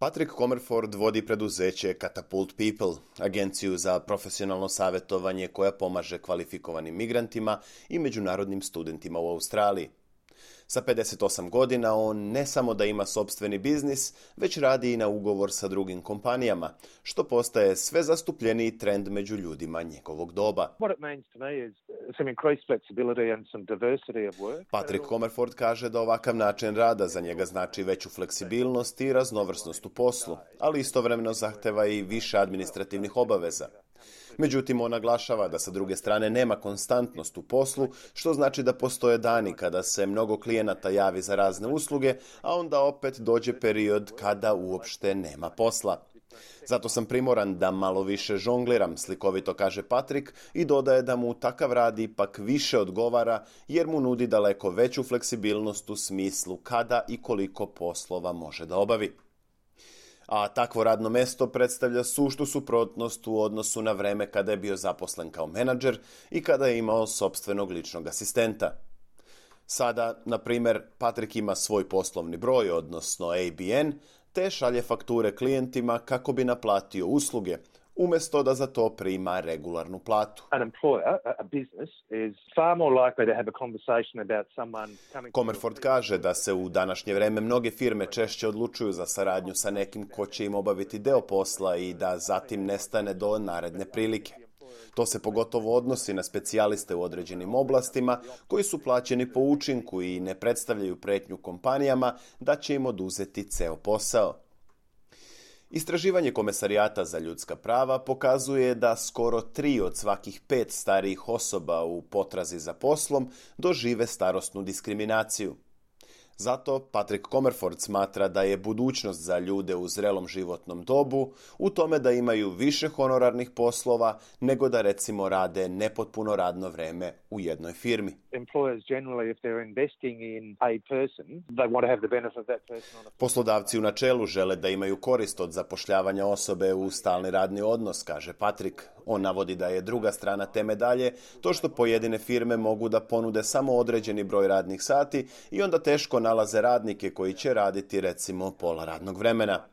Patrick Comerford vodi preduzeće Catapult People, agenciju za profesionalno savjetovanje koja pomaže kvalifikovanim migrantima i međunarodnim studentima u Australiji. Sa 58 godina on ne samo da ima sopstveni biznis, već radi i na ugovor sa drugim kompanijama, što postaje sve zastupljeniji trend među ljudima njegovog doba. Patrick Comerford kaže da ovakav način rada za njega znači veću fleksibilnost i raznovrsnost u poslu, ali istovremeno zahteva i više administrativnih obaveza. Međutim, on naglašava da sa druge strane nema konstantnost u poslu, što znači da postoje dani kada se mnogo klijenata javi za razne usluge, a onda opet dođe period kada uopšte nema posla. Zato sam primoran da malo više žongliram, slikovito kaže Patrick i dodaje da mu takav rad ipak više odgovara jer mu nudi daleko veću fleksibilnost u smislu kada i koliko poslova može da obavi. A takvo radno mesto predstavlja suštu suprotnost u odnosu na vreme kada je bio zaposlen kao menadžer i kada je imao sopstvenog ličnog asistenta. Sada, na primjer, Patrick ima svoj poslovni broj, odnosno ABN, te šalje fakture klijentima kako bi naplatio usluge, umjesto da za to prima regularnu platu. Comerford kaže da se u današnje vreme mnoge firme češće odlučuju za saradnju sa nekim ko će im obaviti deo posla i da zatim nestane do naredne prilike. To se pogotovo odnosi na specijaliste u određenim oblastima koji su plaćeni po učinku i ne predstavljaju pretnju kompanijama da će im oduzeti ceo posao. Istraživanje Komesarijata za ljudska prava pokazuje da skoro 3 od svakih 5 starijih osoba u potrazi za poslom dožive starosnu diskriminaciju. Zato Patrick Comerford smatra da je budućnost za ljude u zrelom životnom dobu u tome da imaju više honorarnih poslova nego da recimo rade nepotpuno radno vreme u jednoj firmi. Poslodavci u načelu žele da imaju korist od zapošljavanja osobe u stalni radni odnos, kaže Patrick. On navodi da je druga strana te medalje to što pojedine firme mogu da ponude samo određeni broj radnih sati i onda teško nalaze radnike koji će raditi recimo pola radnog vremena.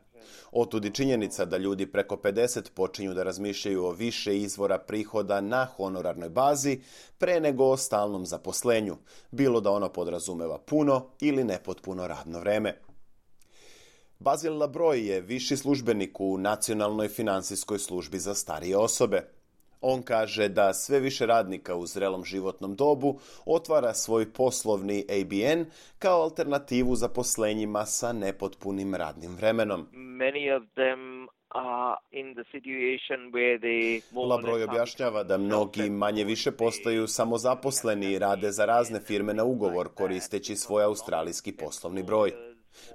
Otud i činjenica da ljudi preko 50 počinju da razmišljaju o više izvora prihoda na honorarnoj bazi pre nego o stalnom zaposlenju, bilo da ono podrazumeva puno ili nepotpuno radno vreme. Basil Labroj je viši službenik u Nacionalnoj finansijskoj službi za starije osobe. On kaže da sve više radnika u zrelom životnom dobu otvara svoj poslovni ABN kao alternativu zaposlenjima sa nepotpunim radnim vremenom. Labroj objašnjava da mnogi manje više postaju samozaposleni i rade za razne firme na ugovor koristeći svoj australijski poslovni broj.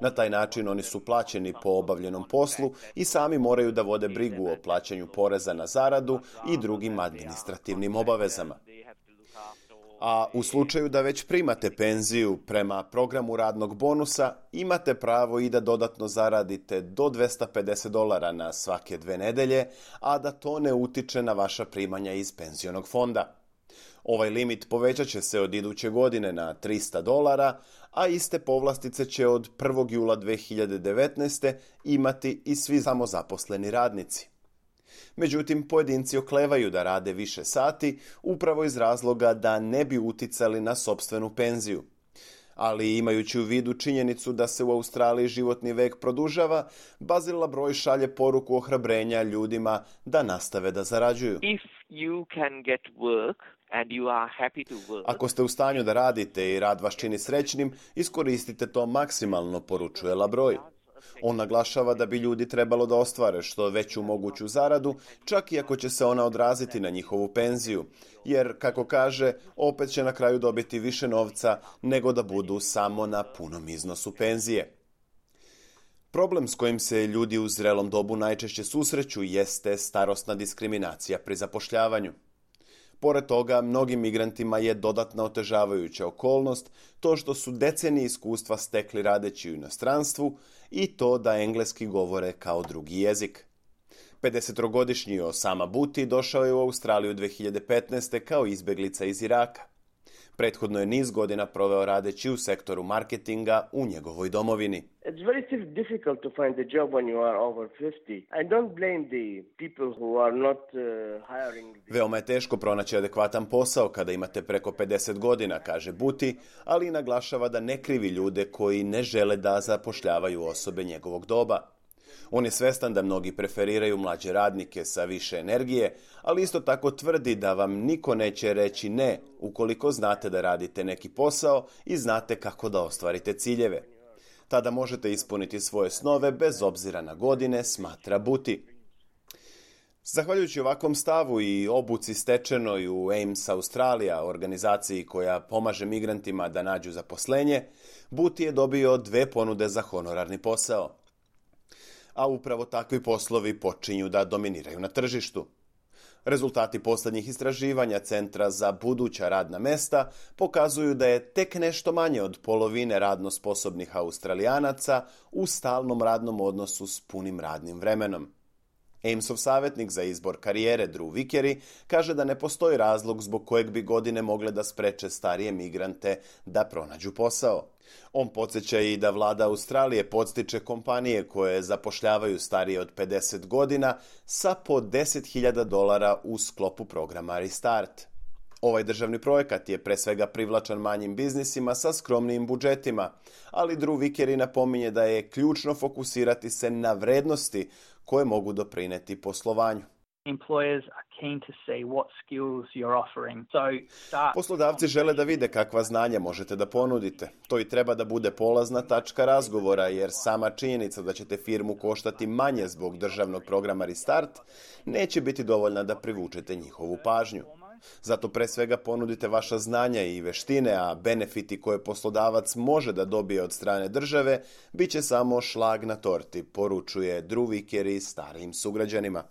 Na taj način oni su plaćeni po obavljenom poslu i sami moraju da vode brigu o plaćanju poreza na zaradu i drugim administrativnim obavezama. A u slučaju da već primate penziju prema programu radnog bonusa, imate pravo i da dodatno zaradite do $250 na svake 2 nedelje, a da to ne utiče na vaša primanja iz penzionog fonda. Ovaj limit povećat će se od iduće godine na $300, a iste povlastice će od 1. jula 2019. imati i svi samozaposleni radnici. Međutim, pojedinci oklevaju da rade više sati upravo iz razloga da ne bi uticali na sopstvenu penziju. Ali imajući u vidu činjenicu da se u Australiji životni vek produžava, Basil Labroj šalje poruku ohrabrenja ljudima da nastave da zarađuju. Ako ste u stanju da radite i rad vas čini srećnim, iskoristite to maksimalno, poručuje Labroj. On naglašava da bi ljudi trebalo da ostvare što veću moguću zaradu, čak i ako će se ona odraziti na njihovu penziju, jer, kako kaže, opet će na kraju dobiti više novca nego da budu samo na punom iznosu penzije. Problem s kojim se ljudi u zrelom dobu najčešće susreću jeste starosna diskriminacija pri zapošljavanju. Pored toga, mnogim migrantima je dodatna otežavajuća okolnost to što su decenije iskustva stekli radeći u inostranstvu i to da engleski govore kao drugi jezik. 50-godišnji Osama Buti došao je u Australiju 2015. kao izbeglica iz Iraka. Prethodno je niz godina proveo radeći u sektoru marketinga u njegovoj domovini. It's very difficult to find a job when you are over 50. I don't blame the people who are not hiring. Veoma je teško pronaći adekvatan posao kada imate preko 50 godina, kaže Buti, ali i naglašava da ne krivi ljude koji ne žele da zapošljavaju osobe njegovog doba. On je svestan da mnogi preferiraju mlađe radnike sa više energije, ali isto tako tvrdi da vam niko neće reći ne ukoliko znate da radite neki posao i znate kako da ostvarite ciljeve. Tada možete ispuniti svoje snove bez obzira na godine, smatra Buti. Zahvaljujući ovakvom stavu i obuci stečenoj u AIMS Australija, organizaciji koja pomaže migrantima da nađu zaposlenje, Buti je dobio 2 ponude za honorarni posao. A upravo takvi poslovi počinju da dominiraju na tržištu. Rezultati posljednjih istraživanja Centra za buduća radna mesta pokazuju da je tek nešto manje od polovine radno sposobnih Australijanaca u stalnom radnom odnosu s punim radnim vremenom. AIMS-ov savjetnik za izbor karijere Drew Vickery kaže da ne postoji razlog zbog kojeg bi godine mogle da spreče starije migrante da pronađu posao. On podsjeća i da vlada Australije podstiče kompanije koje zapošljavaju starije od 50 godina sa po $10.000 u sklopu programa Restart. Ovaj državni projekat je pre svega privlačan manjim biznisima sa skromnijim budžetima, ali Drew Vickery napominje da je ključno fokusirati se na vrednosti koje mogu doprineti poslovanju. Poslodavci žele da vide kakva znanja možete da ponudite. To i treba da bude polazna tačka razgovora, jer sama činjenica da ćete firmu koštati manje zbog državnog programa Restart neće biti dovoljna da privučete njihovu pažnju. Zato pre svega ponudite vaša znanja i veštine, a benefiti koje poslodavac može da dobije od strane države bit će samo šlag na torti, poručuje Drew Vickery starijim sugrađanima.